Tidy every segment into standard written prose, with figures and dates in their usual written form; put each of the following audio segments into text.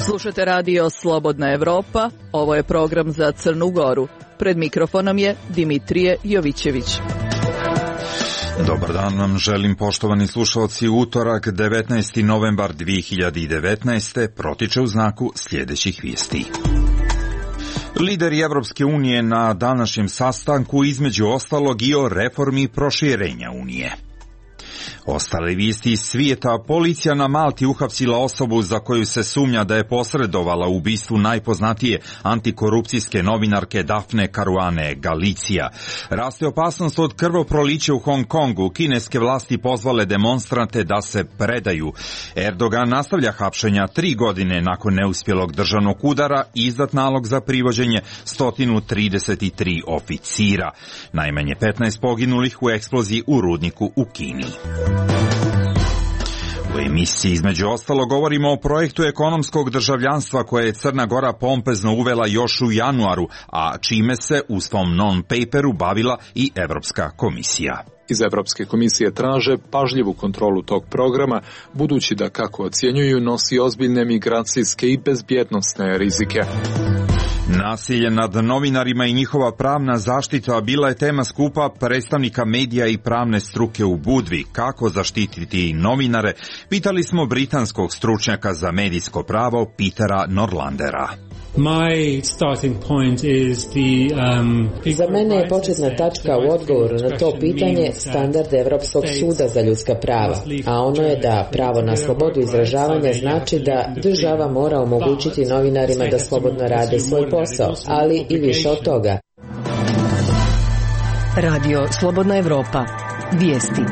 Slušate radio Slobodna Evropa, ovo je program za Crnu Goru. Pred mikrofonom je Dimitrije Jovićević. Dobar dan vam želim, poštovani slušalci. Utorak, 19. novembar 2019. protiče u znaku sljedećih vijesti. Lideri Evropske unije na današnjem sastanku između ostalog i o reformi proširenja Unije. Ostale vijesti iz svijeta: policija na Malti uhapsila osobu za koju se sumnja da je posredovala u ubistvu najpoznatije antikorupcijske novinarke Dafne Caruane Galizia. Raste opasnost od krvoprolića u Hong Kongu. Kineske vlasti pozvale demonstrante da se predaju. Erdogan nastavlja hapšenja 3 godine nakon neuspjelog državnog udara i izdat nalog za privođenje 133 oficira. Najmanje 15 poginulih u eksploziji u rudniku u Kini. U emisiji između ostalo govorimo o projektu ekonomskog državljanstva koje je Crna Gora pompezno uvela još u januaru, a čime se u svom non-paperu bavila i Evropska komisija. Iz Evropske komisije traže pažljivu kontrolu tog programa, budući da, kako ocjenjuju, nosi ozbiljne migracijske i bezbjednosne rizike. Nasilje nad novinarima i njihova pravna zaštita bila je tema skupa predstavnika medija i pravne struke u Budvi. Kako zaštititi novinare, pitali smo britanskog stručnjaka za medijsko pravo Petera Norlandera. Za mene je početna tačka u odgovoru na to pitanje standard Evropskog suda za ljudska prava, a ono je da pravo na slobodu izražavanja znači da država mora omogućiti novinarima da slobodno rade svoj posao, ali i više od toga. Radio Slobodna Evropa. Vijesti.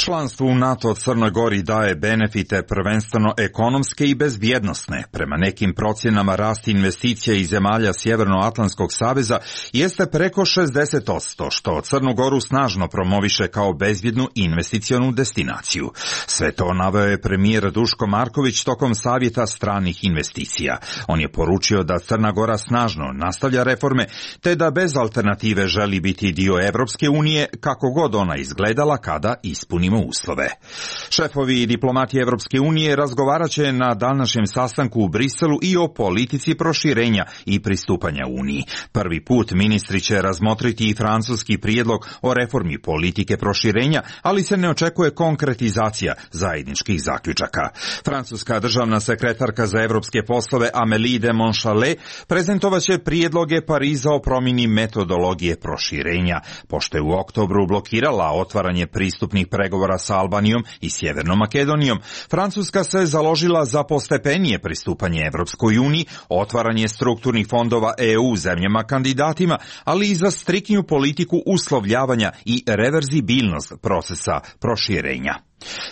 Članstvo u NATO Crnoj Gori daje benefite prvenstveno ekonomske i bezbjednosne. Prema nekim procjenama rast investicija iz zemalja Sjevernoatlantskog saveza jeste preko 60%, što Crnu Goru snažno promoviše kao bezbjednu investicionu destinaciju. Sve to naveo je premijer Duško Marković tokom savjeta stranih investicija. On je poručio da Crna Gora snažno nastavlja reforme, te da bez alternative želi biti dio Evropske unije, kako god ona izgledala kada ispuni uslove. Šefovi i diplomati Evropske unije razgovarat će na današnjem sastanku u Briselu i o politici proširenja i pristupanja Uniji. Prvi put ministri će razmotriti i francuski prijedlog o reformi politike proširenja, ali se ne očekuje konkretizacija zajedničkih zaključaka. Francuska državna sekretarka za evropske poslove Amélie de Montchalin prezentovat će prijedloge Pariza o promjeni metodologije proširenja, pošto je u oktobru blokirala otvaranje pristupnih pregovora sa Albanijom i Sjevernom Makedonijom. Francuska se založila za postepenije pristupanje Evropskoj uniji, otvaranje strukturnih fondova EU zemljama kandidatima, ali i za striktniju politiku uslovljavanja i reverzibilnost procesa proširenja.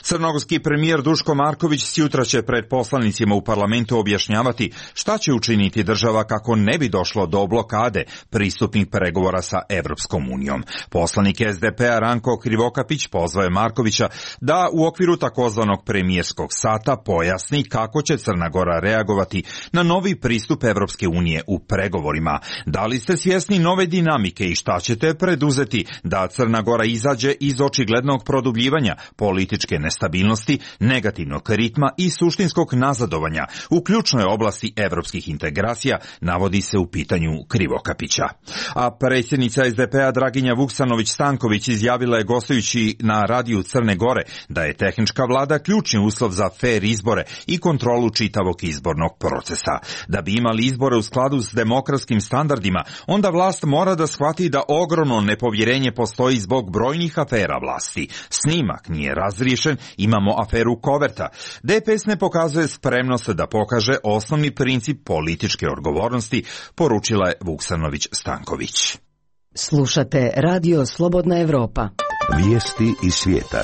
Crnogorski premijer Duško Marković sjutra će pred poslanicima u parlamentu objašnjavati šta će učiniti država kako ne bi došlo do blokade pristupnih pregovora sa Evropskom unijom. Poslanik SDP-a Ranko Krivokapić pozvao je Markovića da u okviru takozvanog premijerskog sata pojasni kako će Crna Gora reagovati na novi pristup Evropske unije u pregovorima. Da li ste svjesni nove dinamike i šta ćete preduzeti da Crna Gora izađe iz očiglednog produbljivanja političke nestabilnosti, negativnog ritma i suštinskog nazadovanja u ključnoj oblasti evropskih integracija, navodi se u pitanju Krivokapića. A predsjednica SDP-a Draginja Vuksanović-Stanković izjavila je gostujući na radiju Crne Gore da je tehnička vlada ključni uslov za fer izbore i kontrolu čitavog izbornog procesa. Da bi imali izbore u skladu s demokratskim standardima, onda vlast mora da shvati da ogromno nepovjerenje postoji zbog brojnih afera vlasti. Snimak nije razriješen, imamo aferu Koverta. DPS ne pokazuje spremnost da pokaže osnovni princip političke odgovornosti, poručila je Vuksanović-Stanković. Slušate Radio Slobodna Evropa. Vijesti iz svijeta.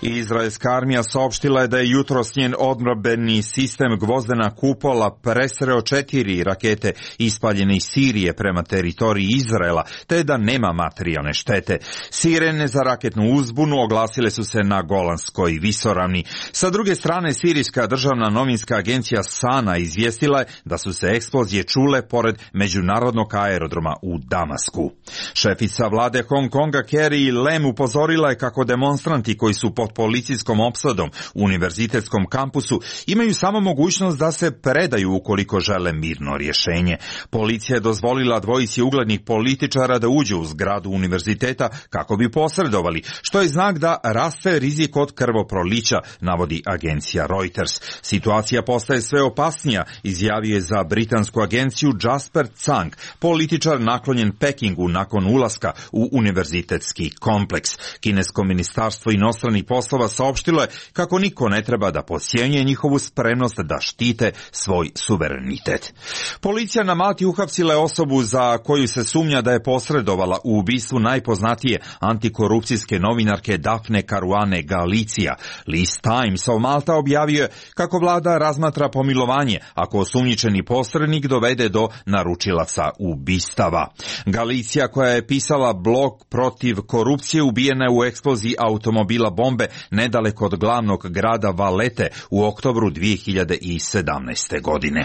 Izraelska armija saopštila je da je jutros njen odbrambeni sistem Gvozdena kupola presreo 4 rakete ispaljene iz Sirije prema teritoriji Izraela, te da nema materijalne štete. Sirene za raketnu uzbunu oglasile su se na Golanskoj visoravni. Sa druge strane, sirijska državna novinska agencija Sana izvijestila je da su se eksplozije čule pored međunarodnog aerodroma u Damasku. Šefica vlade Hong Konga Carrie Lam upozorila je kako demonstranti koji su pod policijskom opsadom u univerzitetskom kampusu imaju samo mogućnost da se predaju ukoliko žele mirno rješenje. Policija je dozvolila dvojici uglednih političara da uđu u zgradu univerziteta kako bi posredovali, što je znak da raste rizik od krvoprolića, navodi agencija Reuters. Situacija postaje sve opasnija, izjavio je za britansku agenciju Jasper Tsang, političar naklonjen Pekingu nakon ulaska u univerzitetski kompleks. Kinesko ministarstvo inostranih poslova saopštilo je kako niko ne treba da podcjenjuje njihovu spremnost da štite svoj suverenitet. Policija na Malti uhapsila je osobu za koju se sumnja da je posredovala u ubistvu najpoznatije antikorupcijske novinarke Dafne Caruane Galizia. List Times of Malta objavio je kako vlada razmatra pomilovanje ako osumnjičeni posrednik dovede do naručilaca ubistava. Galizia, koja je pisala blog protiv korupcije, ubijena je u eksploziji automobila bombe nedaleko od glavnog grada Valete u oktobru 2017. godine.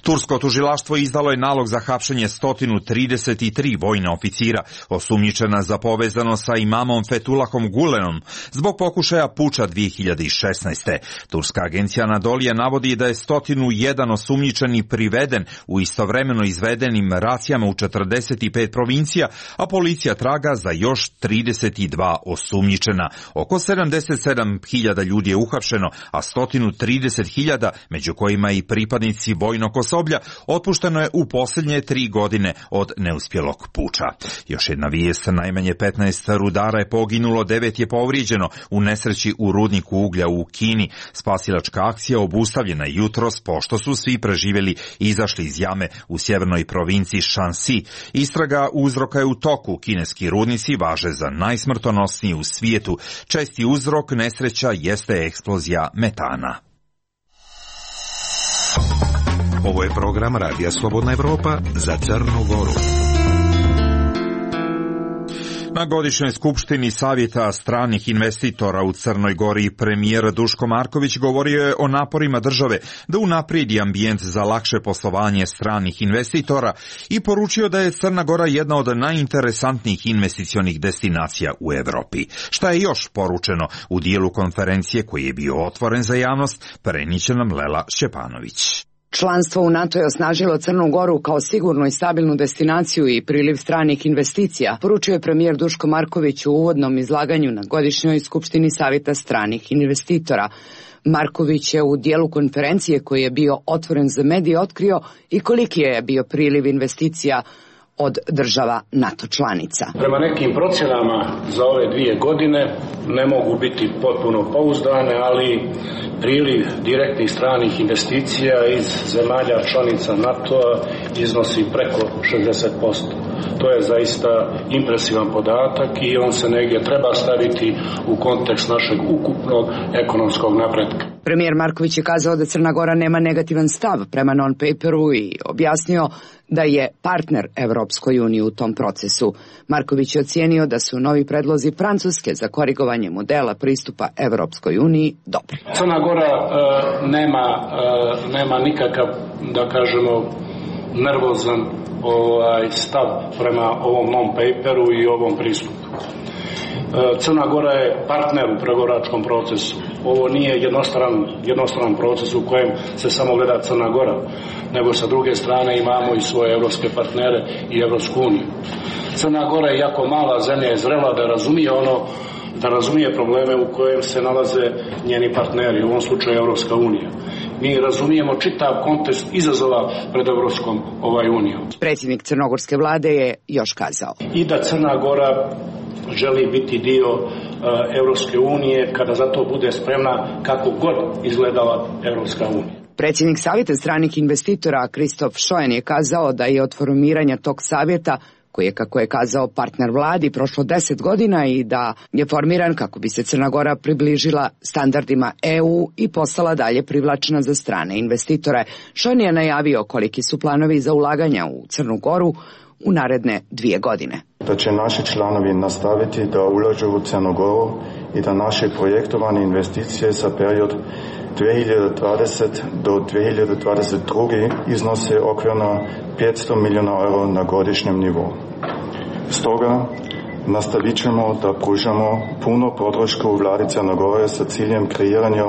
Tursko tužilaštvo izdalo je nalog za hapšenje 133 vojna oficira osumnjičena za povezano sa imamom Fethullahom Gulenom zbog pokušaja puča 2016. Turska agencija Anadolija navodi da je 101 osumnjičeni priveden u istovremeno izvedenim racijama u 45 provincija, a policija traga za još 32 osumnjičena. Oko 77.000 ljudi je uhapšeno, a 130.000, među kojima i pripadnici vojnog osoblja, otpušteno je u posljednje 3 godine od neuspjelog puča. Još jedna vijest, najmanje 15 rudara je poginulo, 9 je povrijeđeno u nesreći u rudniku uglja u Kini. Spasilačka akcija obustavljena jutros pošto su svi preživjeli izašli iz jame u sjevernoj provinciji Shanxi. Istraga uzroka je u toku. Kineski rudnici važe za najsmrtonosniji u svijetu. Česti uzrok nesreća jeste eksplozija metana. Ovo je program Radija Slobodna Evropa za Crnu Goru. Na godišnjoj skupštini Savjeta stranih investitora u Crnoj Gori premijer Duško Marković govorio je o naporima države da unaprijedi ambijent za lakše poslovanje stranih investitora i poručio da je Crna Gora jedna od najinteresantnijih investicionih destinacija u Europi. Šta je još poručeno u dijelu konferencije koji je bio otvoren za javnost, preniće nam Lela Šćepanović. Članstvo u NATO je osnažilo Crnu Goru kao sigurnu i stabilnu destinaciju i priliv stranih investicija, poručio je premijer Duško Marković u uvodnom izlaganju na godišnjoj skupštini Savjeta stranih investitora. Marković je u dijelu konferencije koji je bio otvoren za medije otkrio i koliki je bio priliv investicija od država NATO članica. Prema nekim procjenama za ove 2 godine ne mogu biti potpuno pouzdane, ali priliv direktnih stranih investicija iz zemalja članica NATO-a iznosi preko 60%. To je zaista impresivan podatak i on se negdje treba staviti u kontekst našeg ukupnog ekonomskog napretka. Premijer Marković je kazao da Crna Gora nema negativan stav prema non-paperu i objasnio da je partner Evropskoj uniji u tom procesu. Marković je ocijenio da su novi predlozi Francuske za korigovanje modela pristupa Evropskoj uniji dobri. Crna Gora nema nikakav, da kažemo, nervozan stav prema ovom non-paperu i ovom pristupu. Crna Gora je partner u pregovaračkom procesu. Ovo nije jednostran proces u kojem se samo gleda Crna Gora, nego sa druge strane imamo i svoje evropske partnere i Evropsku uniju. Crna Gora je jako mala zemlja, je zrela da razumije probleme u kojem se nalaze njeni partneri, u ovom slučaju Evropska unija. Mi razumijemo čitav kontekst izazova pred Evropskom unijom. Predsjednik crnogorske vlade je još kazao. I da Crna Gora želi biti dio Evropske unije kada za to bude spremna kako god izgledala Evropska unija. Predsjednik Savjeta stranih investitora Kristof Šojen je kazao da je od formiranja tog savjeta koji je, kako je kazao, partner vladi prošlo 10 godina i da je formiran kako bi se Crna Gora približila standardima EU i postala dalje privlačna za strane investitore. Šon je najavio koliki su planovi za ulaganja u Crnu Goru u naredne 2 godine. Da će naši članovi nastaviti da ulažu u Crnu Goru i da naše projektovane investicije za period 2020 do 2022 iznose okvirno 500 milijuna euro na godišnjem nivou. Stoga nastavit ćemo da pružamo puno podršku vladi Crne Gore sa ciljem kreiranja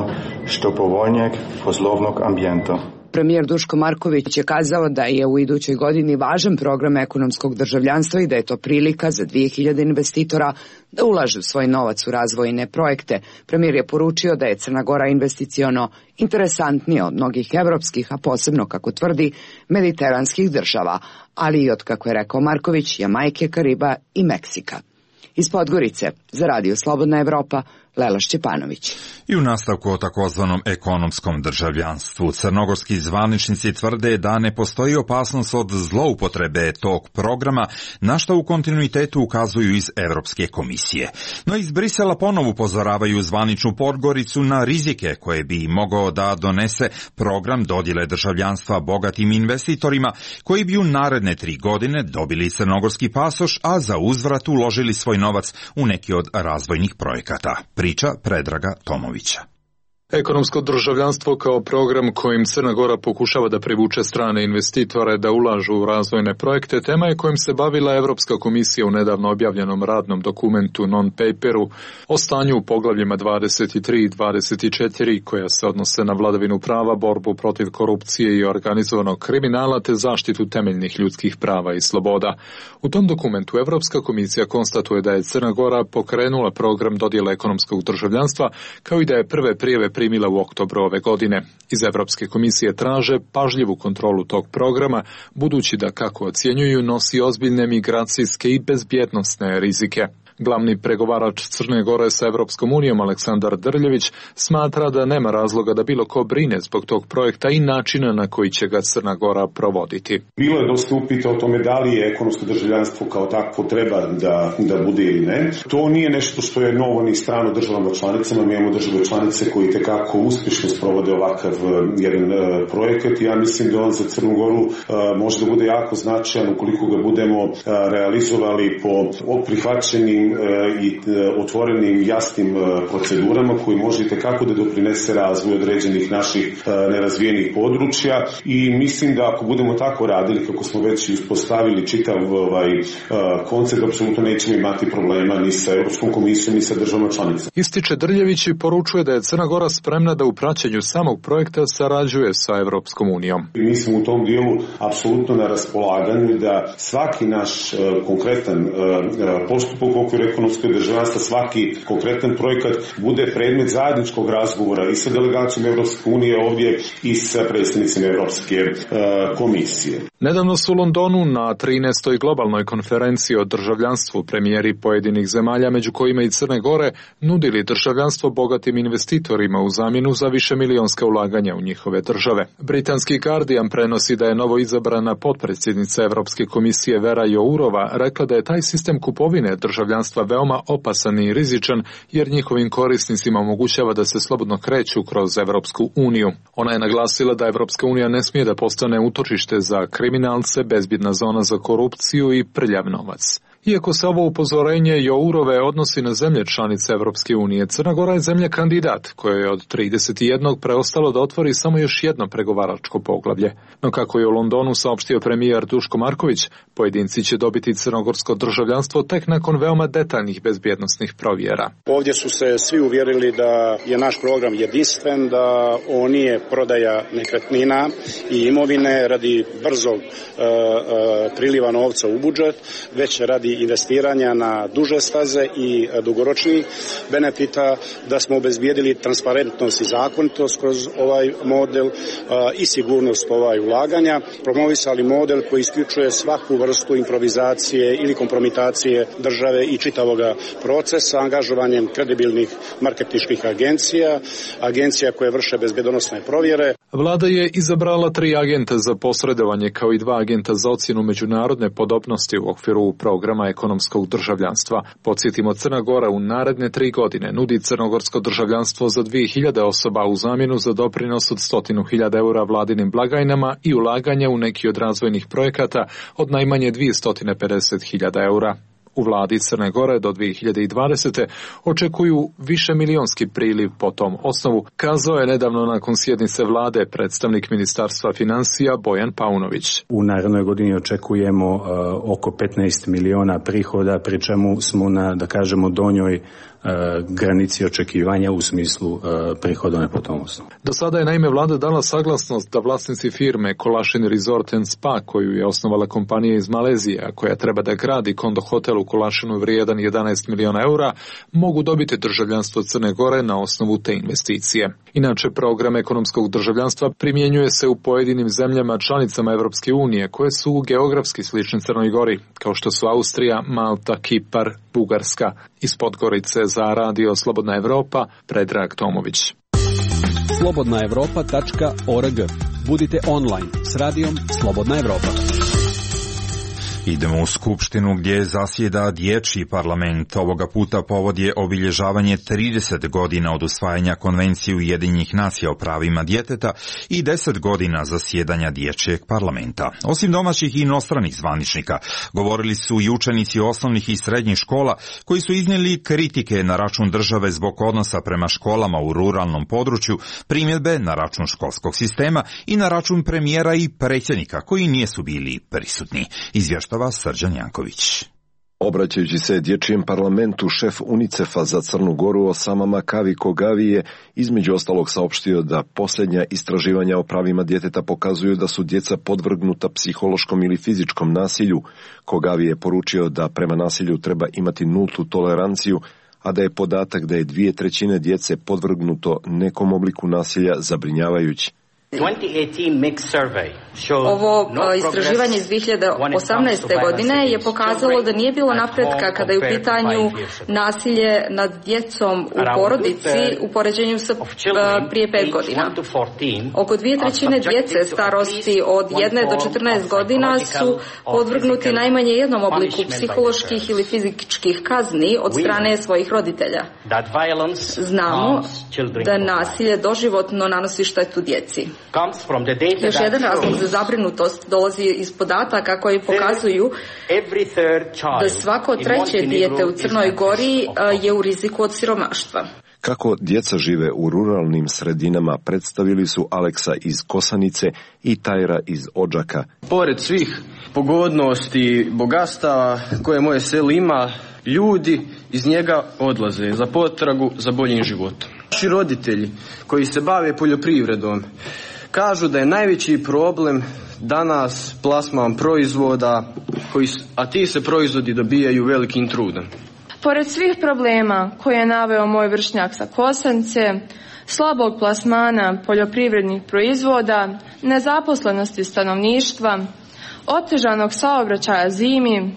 što povoljnijeg poslovnog ambijenta. Premijer Duško Marković je kazao da je u idućoj godini važan program ekonomskog državljanstva i da je to prilika za 2000 investitora da ulažu svoj novac u razvojne projekte. Premijer je poručio da je Crna Gora investiciono interesantnija od mnogih evropskih, a posebno, kako tvrdi, mediteranskih država, ali i od, kako je rekao Marković, Jamajke, Kariba i Meksika. Iz Podgorice, za Radio Slobodna Evropa, Lela Šćepanović. I u nastavku o takozvanom ekonomskom državljanstvu, crnogorski zvaničnici tvrde da ne postoji opasnost od zloupotrebe tog programa, na što u kontinuitetu ukazuju iz Evropske komisije. No iz Brisela ponovo upozoravaju zvaničnu Podgoricu na rizike koje bi mogao da donese program dodjele državljanstva bogatim investitorima koji bi u naredne 3 godine dobili crnogorski pasoš, a za uzvrat uložili svoj novac u neki od razvojnih projekata. Priča Predraga Tomovića. Ekonomsko državljanstvo kao program kojim Crna Gora pokušava da privuče strane investitore da ulažu u razvojne projekte, tema je kojim se bavila Evropska komisija u nedavno objavljenom radnom dokumentu non-paperu o stanju u poglavljima 23 i 24 koja se odnose na vladavinu prava, borbu protiv korupcije i organizovanog kriminala te zaštitu temeljnih ljudskih prava i sloboda. U tom dokumentu Evropska komisija konstatuje da je Crna Gora pokrenula program dodjele ekonomskog državljanstva, kao i da je prve prijave primila u oktobru ove godine. Iz Evropske komisije traže pažljivu kontrolu tog programa, budući da, kako ocjenjuju, nosi ozbiljne migracijske i bezbjednosne rizike. Glavni pregovarač Crne Gore sa Evropskom unijom Aleksandar Drljević smatra da nema razloga da bilo ko brine zbog tog projekta i načina na koji će ga Crna Gora provoditi. Bilo je dosta upita o tome da li je ekonomsko državljanstvo kao takvo treba da bude ili ne. To nije nešto što je novo ni strano državama članicama. Mi imamo države članice koji tekako uspješno sprovode ovakav jedan projekat. Ja mislim da on za Crnu Goru može da bude jako značajan ukoliko ga budemo realizovali po prihvaćenim i otvorenim jasnim procedurama koji može kako da doprinese razvoju određenih naših nerazvijenih područja i mislim da ako budemo tako radili kako smo već uspostavili čitav koncept, apsolutno nećemo imati problema ni sa Europskom komisijom ni sa državama članicama. Ističe Drljević i poručuje da je Crna Gora spremna da u praćenju samog projekta sarađuje sa Europskom unijom. Mi smo u tom dijelu apsolutno na raspolaganju da svaki naš konkretan postupak u okviru ekonomskog državljanstva, svaki konkretan projekat bude predmet zajedničkog razgovora i sa delegacijom Europske unije ovdje i sa predstavnicima Europske komisije. Nedavno su u Londonu na 13. globalnoj konferenciji o državljanstvu premijeri pojedinih zemalja, među kojima i Crne Gore, nudili državljanstvo bogatim investitorima u zamjenu za višemilijonska ulaganja u njihove države. Britanski Guardian prenosi da je novo izabrana potpredsjednica Europske komisije Vera Jourova rekla da je taj sistem kupovine državljanstva veoma opasan i rizičan jer njihovim korisnicima omogućava da se slobodno kreću kroz Evropsku uniju. Ona je naglasila da Evropska unija ne smije da postane utočište za kriminalce, bezbjedna zona za korupciju i prljav novac. Iako se ovo upozorenje Jourove odnosi na zemlje članice Evropske unije, Crna Gora je zemlja kandidat koja je od 31 preostalo da otvori samo još jedno pregovaračko poglavlje. No kako je u Londonu saopštio premijer Duško Marković, pojedinci će dobiti crnogorsko državljanstvo tek nakon veoma detaljnih bezbjednosnih provjera. Ovdje su se svi uvjerili da je naš program jedinstven, da on nije prodaja nekretnina i imovine radi brzog priliva novca u budžet, već radi investiranja na duže staze i dugoročnih benefita, da smo obezbijedili transparentnost i zakonitost kroz ovaj model i sigurnost ulaganja, promovisali model koji isključuje svaku vrstu improvizacije ili kompromitacije države i čitavog procesa angažovanjem kredibilnih marketinških agencija koje vrše bezbjedonosne provjere. Vlada je izabrala 3 agenta za posredovanje kao i 2 agenta za ocjenu međunarodne podobnosti u okviru programa ekonomskog državljanstva. Podsjetimo, Crna Gora u naredne 3 godine nudi crnogorsko državljanstvo za 2000 osoba u zamjenu za doprinos od 100.000 eura vladinim blagajnama i ulaganja u neki od razvojnih projekata od najmanje 250.000 eura. U vladi Crne Gore do 2020. očekuju višemilionski priliv po tom osnovu, kazao je nedavno nakon sjednice vlade predstavnik Ministarstva financija Bojan Paunović. U narednoj godini očekujemo oko 15 miliona prihoda, pri čemu smo na, da kažemo, donjoj granici očekivanja u smislu prihodovne po tom osnovu. Do sada je naime vlada dala saglasnost da vlasnici firme Kolašin Resort & Spa, koju je osnovala kompanija iz Malezije, a koja treba da gradi kondo hotel u Kolašinu vrijedan 11 miliona eura, mogu dobiti državljanstvo Crne Gore na osnovu te investicije. Inače, program ekonomskog državljanstva primjenjuje se u pojedinim zemljama članicama Evropske unije, koje su geografski slične Crnoj Gori, kao što su Austrija, Malta, Kipar, Bugarska. Iz Podgorice za Radio Slobodna Evropa, Predrag Tomović. slobodnaevropa.org. Budite online s radijom Slobodna Evropa. Idemo u Skupštinu gdje zasjeda dječji parlament. Ovoga puta povod je obilježavanje 30 godina od usvajanja Konvencije Ujedinjenih nacija o pravima djeteta i 10 godina zasjedanja dječjeg parlamenta. Osim domaćih i inostranih zvaničnika, govorili su i učenici osnovnih i srednjih škola koji su iznijeli kritike na račun države zbog odnosa prema školama u ruralnom području, primjedbe na račun školskog sistema i na račun premijera i predsjednika koji nisu bili prisutni. Izvještava Srđan Janković. Obraćajući se dječjem parlamentu, šef UNICEF-a za Crnu Goru Osama Makavi Kogavi je između ostalog saopštio da posljednja istraživanja o pravima djeteta pokazuju da su djeca podvrgnuta psihološkom ili fizičkom nasilju. Kogavi je poručio da prema nasilju treba imati nultu toleranciju, a da je podatak da je 2/3 djece podvrgnuto nekom obliku nasilja zabrinjavajući. Ovo istraživanje iz 2018. godine je pokazalo da nije bilo napretka kada je u pitanju nasilje nad djecom u porodici u poređenju sa prije 5 godina. Oko 2/3 djece starosti od 1 do 14 godina su podvrgnuti najmanje jednom obliku psiholoških ili fizičkih kazni od strane svojih roditelja. Znamo da nasilje doživotno nanosi štetu djeci. Još jedan razlog za zabrinutost dolazi iz podataka koji pokazuju da svako 3. dijete u Crnoj Gori je u riziku od siromaštva. Kako djeca žive u ruralnim sredinama predstavili su Aleksa iz Kosanice i Tajra iz Odžaka. Pored svih pogodnosti i bogatstava koje moje selo ima, ljudi iz njega odlaze za potragu za boljim životom. Naši roditelji koji se bave poljoprivredom kažu da je najveći problem danas plasman proizvoda, a ti se proizvodi dobijaju velikim trudom. Pored svih problema koje je naveo moj vršnjak sa Kosanice, slabog plasmana poljoprivrednih proizvoda, nezaposlenosti stanovništva, otežanog saobraćaja zimi,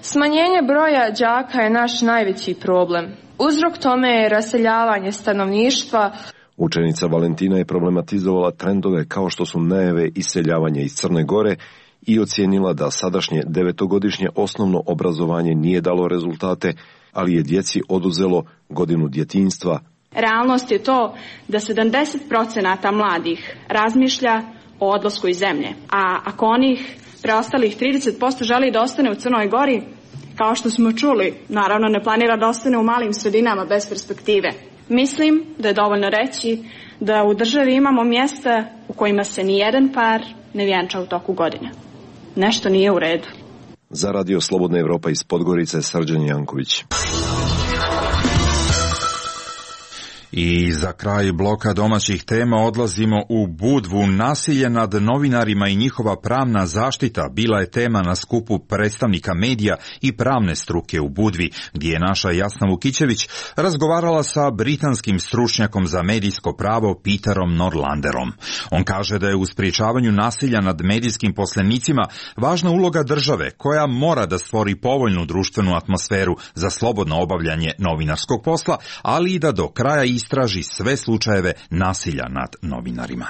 smanjenje broja đaka je naš najveći problem. Uzrok tome je raseljavanje stanovništva. Učenica Valentina je problematizovala trendove kao što su najave iseljavanja iz Crne Gore i ocijenila da sadašnje 9-godišnje osnovno obrazovanje nije dalo rezultate, ali je djeci oduzelo godinu djetinjstva. Realnost je to da 70% mladih razmišlja o odlasku iz zemlje, a ako onih preostalih 30% želi da ostane u Crnoj Gori, kao što smo čuli, naravno ne planira da ostane u malim sredinama bez perspektive. Mislim da je dovoljno reći da u državi imamo mjesta u kojima se nijedan par ne vjenča u toku godine. Nešto nije u redu. Za Radio Slobodna Evropa iz Podgorice, Srđan Janković. I za kraj bloka domaćih tema odlazimo u Budvu. Nasilje nad novinarima i njihova pravna zaštita bila je tema na skupu predstavnika medija i pravne struke u Budvi, gdje je naša Jasna Vukićević razgovarala sa britanskim stručnjakom za medijsko pravo Peterom Norlanderom. On kaže da je u sprječavanju nasilja nad medijskim poslenicima važna uloga države, koja mora da stvori povoljnu društvenu atmosferu za slobodno obavljanje novinarskog posla, ali i da do kraja istraži sve slučajeve nasilja nad novinarima.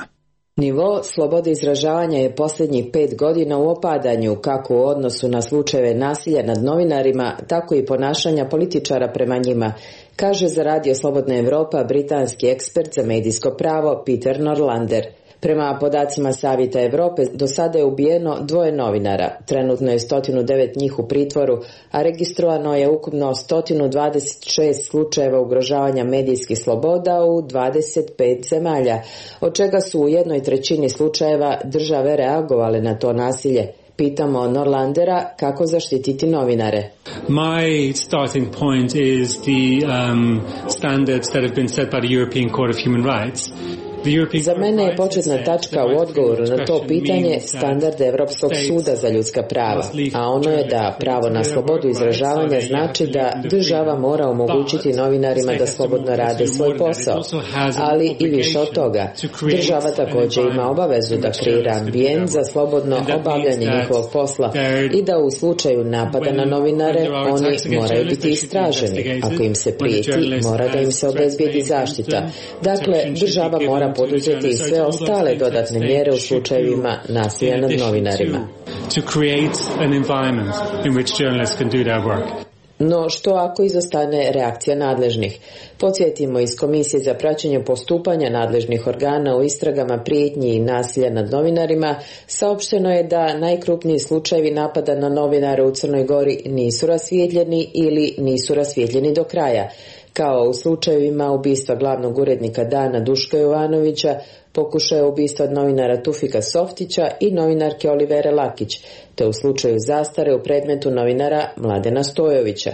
Nivo slobode izražavanja je posljednjih 5 godina u opadanju, kako u odnosu na slučajeve nasilja nad novinarima, tako i ponašanja političara prema njima, kaže za Radio Slobodna Evropa britanski ekspert za medijsko pravo Peter Norlander. Prema podacima Savjeta Evrope, do sada je ubijeno 2 novinara, trenutno je 109 njih u pritvoru, a registrovano je ukupno 126 slučajeva ugrožavanja medijskih sloboda u 25 zemalja, od čega su u 1/3 slučajeva države reagovale na to nasilje. Pitamo Norlandera kako zaštititi novinare. My starting point is the standards that have been set by the European Court of Human Rights. Za mene je početna tačka u odgovoru na to pitanje standard Europskog suda za ljudska prava, a ono je da pravo na slobodu izražavanja znači da država mora omogućiti novinarima da slobodno rade svoj posao, ali i više od toga. Država također ima obavezu da kreira ambijent za slobodno obavljanje njihovog posla i da u slučaju napada na novinare oni moraju biti istraženi. Ako im se prijeti, mora da im se obezbijedi zaštita. Dakle, država mora poduzeti i sve ostale dodatne mjere u slučajevima nasilja nad novinarima. No što ako izostane reakcija nadležnih? Podsjetimo, iz Komisije za praćenje postupanja nadležnih organa u istragama prijetnji i nasilja nad novinarima saopšteno je da najkrupniji slučajevi napada na novinare u Crnoj Gori nisu rasvijetljeni ili nisu rasvijetljeni do kraja, kao u slučajevima ubistva glavnog urednika Dana Duška Jovanovića, pokušaja ubistva od novinara Tufika Softića i novinarke Olivere Lakić, te u slučaju zastare u predmetu novinara Mladena Stojovića.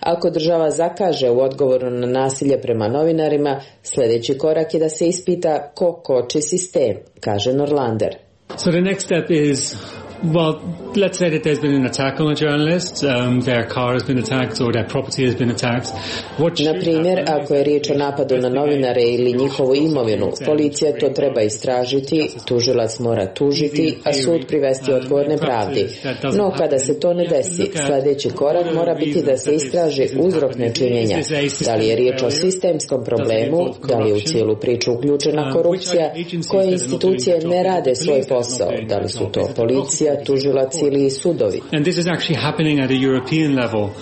Ako država zakaže u odgovoru na nasilje prema novinarima, sljedeći korak je da se ispita ko koči sistem, kaže Norlander. So the next step is, well, let's say that there's been an attack on a journalist, their car has been attacked or their property has been attacked. Na primjer, ako je riječ o napadu na novinare ili njihovu imovinu, policija to treba istražiti, tužilac mora tužiti, a sud privesti odgovorne pravdi. No, kada se to ne desi, sljedeći korak mora biti da se istraži uzrok nečinjenja. Da li je riječ o sistemskom problemu, da li je u cijelu priču uključena korupcija, koje institucije ne rade svoj posao, da li su to policija, tužilac ili sudovi.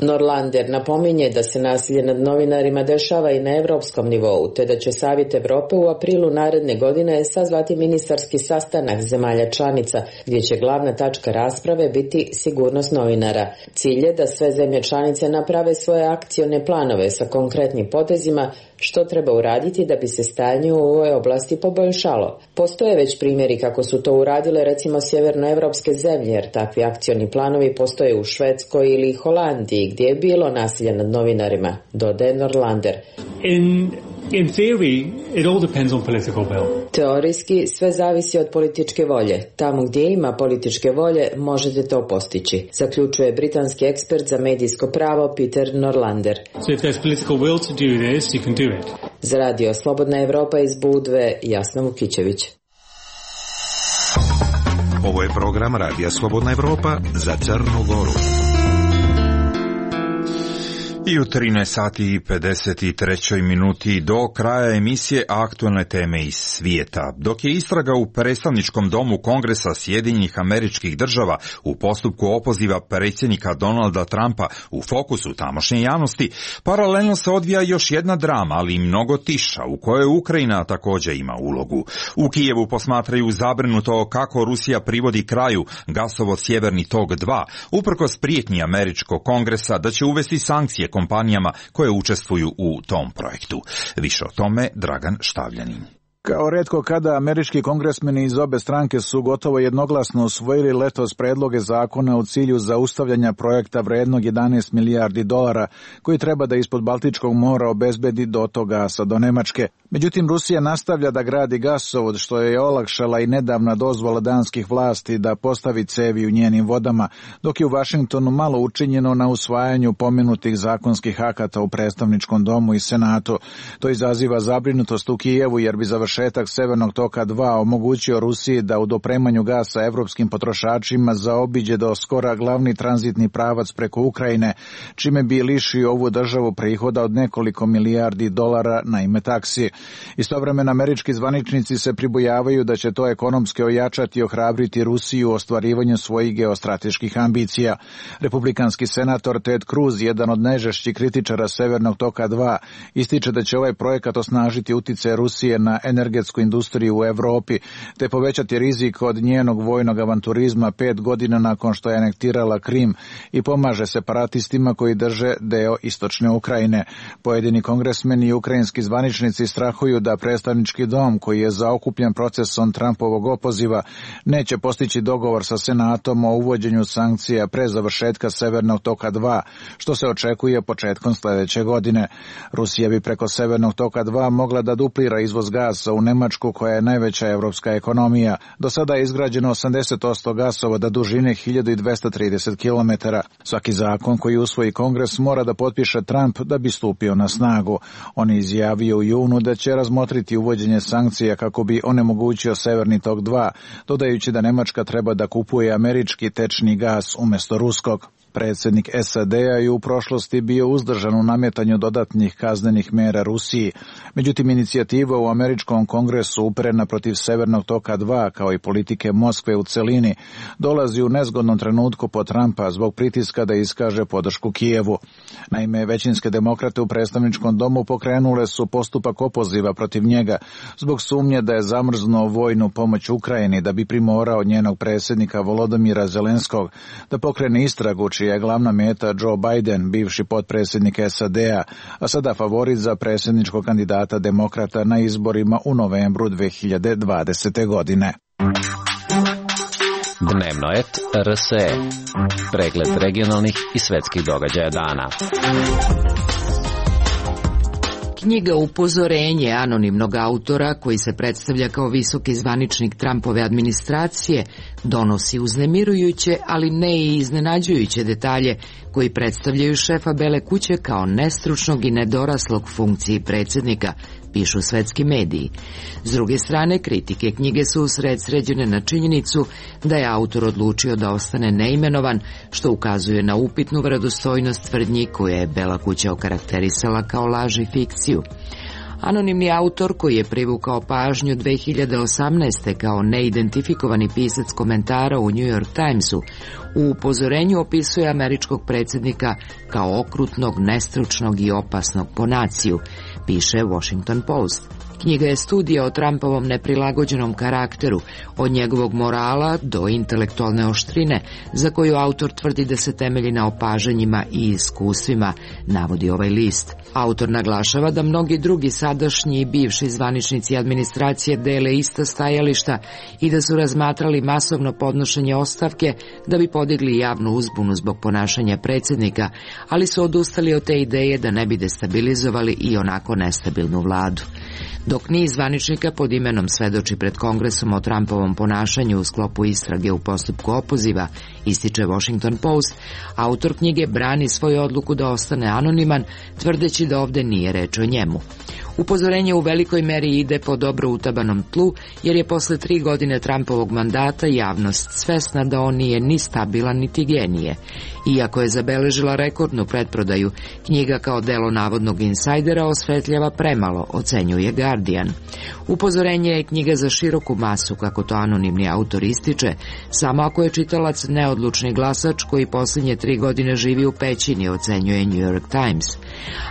Norlander napominje da se nasilje nad novinarima dešava i na europskom nivou, te da će Savjet Evrope u aprilu naredne godine sazvati ministarski sastanak zemalja članica, gdje će glavna tačka rasprave biti sigurnost novinara. Cilj je da sve zemlje članice naprave svoje akcione planove sa konkretnim potezima što treba uraditi da bi se stanje u ovoj oblasti poboljšalo. Postoje već primjeri kako su to uradile recimo sjevernoevropske zemlje, jer takvi akcioni planovi postoje u Švedskoj ili Holandiji, gdje je bilo nasilja nad novinarima, dodaje Norlander. In theory, it all depends on political will. Teorijski sve zavisi od političke volje. Tamo gdje ima političke volje možete to postići, zaključuje britanski ekspert za medijsko pravo Peter Norlander. So if there's political will to do this, you can do it. Za Radio Slobodna Evropa iz Budve, Jasna Vukićević. Ovo je program Radija Slobodna Evropa za Crnu Goru. I u 13 sati i 53 minuti do kraja emisije aktualne teme iz svijeta. Dok je istraga u predstavničkom domu Kongresa Sjedinjenih Američkih Država u postupku opoziva predsjednika Donalda Trumpa u fokusu tamošnje javnosti, paralelno se odvija još jedna drama, ali i mnogo tiša, u kojoj Ukrajina također ima ulogu. U Kijevu posmatraju zabrinuto kako Rusija privodi kraju gasovod Sjeverni tok 2, uprkos prijetnji Američkog kongresa da će uvesti sankcije kompanijama koje učestvuju u tom projektu. Više o tome Dragan Štavljanin. Kao retko kada, američki kongresmeni iz obe stranke su gotovo jednoglasno usvojili letos predloge zakona u cilju zaustavljanja projekta vrednog 11 milijardi dolara, koji treba da ispod Baltičkog mora obezbedi dotok gasa do Nemačke. Međutim, Rusija nastavlja da gradi gasovod, što je olakšala i nedavna dozvola danskih vlasti da postavi cevi u njenim vodama, dok je u Vašingtonu malo učinjeno na usvajanju pomenutih zakonskih akata u predstavničkom domu i senatu. To izaziva zabrinutost u Kijevu, jer bi završetak Severnog toka 2 omogućio Rusiji da u dopremanju gasa evropskim potrošačima zaobiđe do skora glavni tranzitni pravac preko Ukrajine, čime bi lišio ovu državu prihoda od nekoliko milijardi dolara na ime taksi. Istovremeno, američki zvaničnici se pribojavaju da će to ekonomski ojačati i ohrabriti Rusiju u ostvarivanju svojih geostrateških ambicija. Republikanski senator Ted Cruz, jedan od najžešćih kritičara Severnog toka 2, ističe da će ovaj projekat osnažiti uticaj Rusije na energetsku industriju u Evropi, te povećati rizik od njenog vojnog avanturizma 5 godina nakon što je anektirala Krim i pomaže separatistima koji drže deo istočne Ukrajine. Pojedini kongresmeni i ukrajinski zvaničnici strahuju da predstavnički dom, koji je zaokupljen procesom Trumpovog opoziva, neće postići dogovor sa Senatom o uvođenju sankcija pre završetka Severnog toka 2, što se očekuje početkom sledeće godine. Rusija bi preko Severnog toka 2 mogla da duplira izvoz gasa u Nemačku, koja je najveća evropska ekonomija. Do sada je izgrađeno 80% gasovoda dužine 1230 km. Svaki zakon koji usvoji Kongres mora da potpiše Trump da bi stupio na snagu. On je izjavio u junu da će razmotriti uvođenje sankcija kako bi onemogućio Severni tok 2, dodajući da Nemačka treba da kupuje američki tečni gas umjesto ruskog. Predsjednik SAD-a je u prošlosti bio uzdržan u nametanju dodatnih kaznenih mera Rusiji. Međutim, inicijativa u američkom kongresu uperena protiv Severnog toka 2, kao i politike Moskve u celini, dolazi u nezgodnom trenutku po Trumpa zbog pritiska da iskaže podršku Kijevu. Naime, većinske demokrate u predstavničkom domu pokrenule su postupak opoziva protiv njega zbog sumnje da je zamrznuo vojnu pomoć Ukrajini da bi primorao njenog predsjednika Volodymyra Zelenskog da pokrene istragu, čija je glavna meta Joe Biden, bivši potpredsjednik SAD-a, a sada favorit za predsjedničkog kandidata demokrata na izborima u novembru 2020. godine. Dnevno et RSE. Pregled regionalnih i svetskih događaja dana. Knjiga Upozorenje anonimnog autora, koji se predstavlja kao visoki zvaničnik Trumpove administracije, donosi uznemirujuće, ali ne i iznenađujuće detalje koji predstavljaju šefa Bele kuće kao nestručnog i nedoraslog funkciji predsjednika, pišu svetski mediji. S druge strane, kritike knjige su usredsređene na činjenicu da je autor odlučio da ostane neimenovan, što ukazuje na upitnu vjerodostojnost tvrdnji koje je Bela kuća okarakterisala kao laž i fikciju. Anonimni autor, koji je privukao pažnju 2018. kao neidentifikovani pisac komentara u New York Timesu, u upozorenju opisuje američkog predsjednika kao okrutnog, nestručnog i opasnog po naciju, piše Washington Post. Knjiga je studija o Trumpovom neprilagođenom karakteru, od njegovog morala do intelektualne oštrine, za koju autor tvrdi da se temelji na opažanjima i iskustvima, navodi ovaj list. Autor naglašava da mnogi drugi sadašnji i bivši zvaničnici administracije dele ista stajališta i da su razmatrali masovno podnošenje ostavke da bi podigli javnu uzbunu zbog ponašanja predsjednika, ali su odustali od te ideje da ne bi destabilizovali i onako nestabilnu vladu. Dok niz zvaničnika pod imenom svedoči pred Kongresom o Trumpovom ponašanju u sklopu istrage u postupku opoziva, ističe Washington Post, autor knjige brani svoju odluku da ostane anoniman, tvrdeći da ovde nije reč o njemu. Upozorenje u velikoj meri ide po dobro utabanom tlu, jer je posle 3 godine Trumpovog mandata javnost svesna da on nije ni stabilan niti genije. Iako je zabeležila rekordnu pretprodaju, knjiga kao delo navodnog insajdera osvetljava premalo, ocenjuje Guardian. Upozorenje je knjiga za široku masu, kako to anonimni autor ističe, samo ako je čitalac neodlučni glasač koji posljednje 3 godine živi u pećini, ocenjuje New York Times.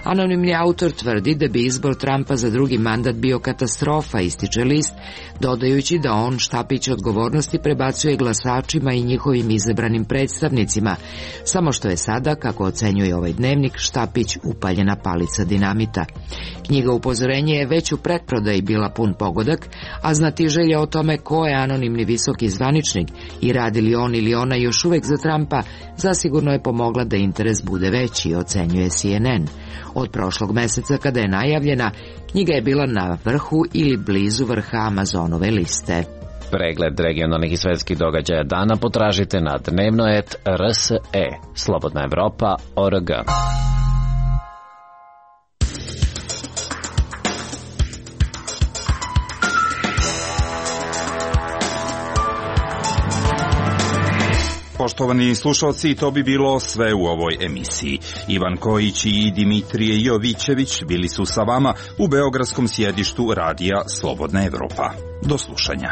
Anonimni autor tvrdi da bi izbor Trumpa za drugi mandat bio katastrofa, ističe list, dodajući da on štapić odgovornosti prebacuje glasačima i njihovim izabranim predstavnicima, samo što je sada, kako ocenjuje ovaj dnevnik, štapić upaljena palica dinamita. Knjiga Upozorenje je već u pretprodaji bila pun pogodak, a znatiželja o tome ko je anonimni visoki zvaničnik i radi li on ili ona još uvek za Trumpa, zasigurno je pomogla da interes bude veći, ocenjuje CNN. Od prošlog meseca kada je najavljena, knjiga je bila na vrhu ili blizu vrha Amazonove liste. Pregled regionalnih i svetskih događaja dana potražite na dnevno.rse, slobodnaevropa.org. Poštovani slušalci, to bi bilo sve u ovoj emisiji. Ivan Kojić i Dimitrije Jovićević bili su sa vama u beogradskom sjedištu radija Slobodna Evropa. Do slušanja.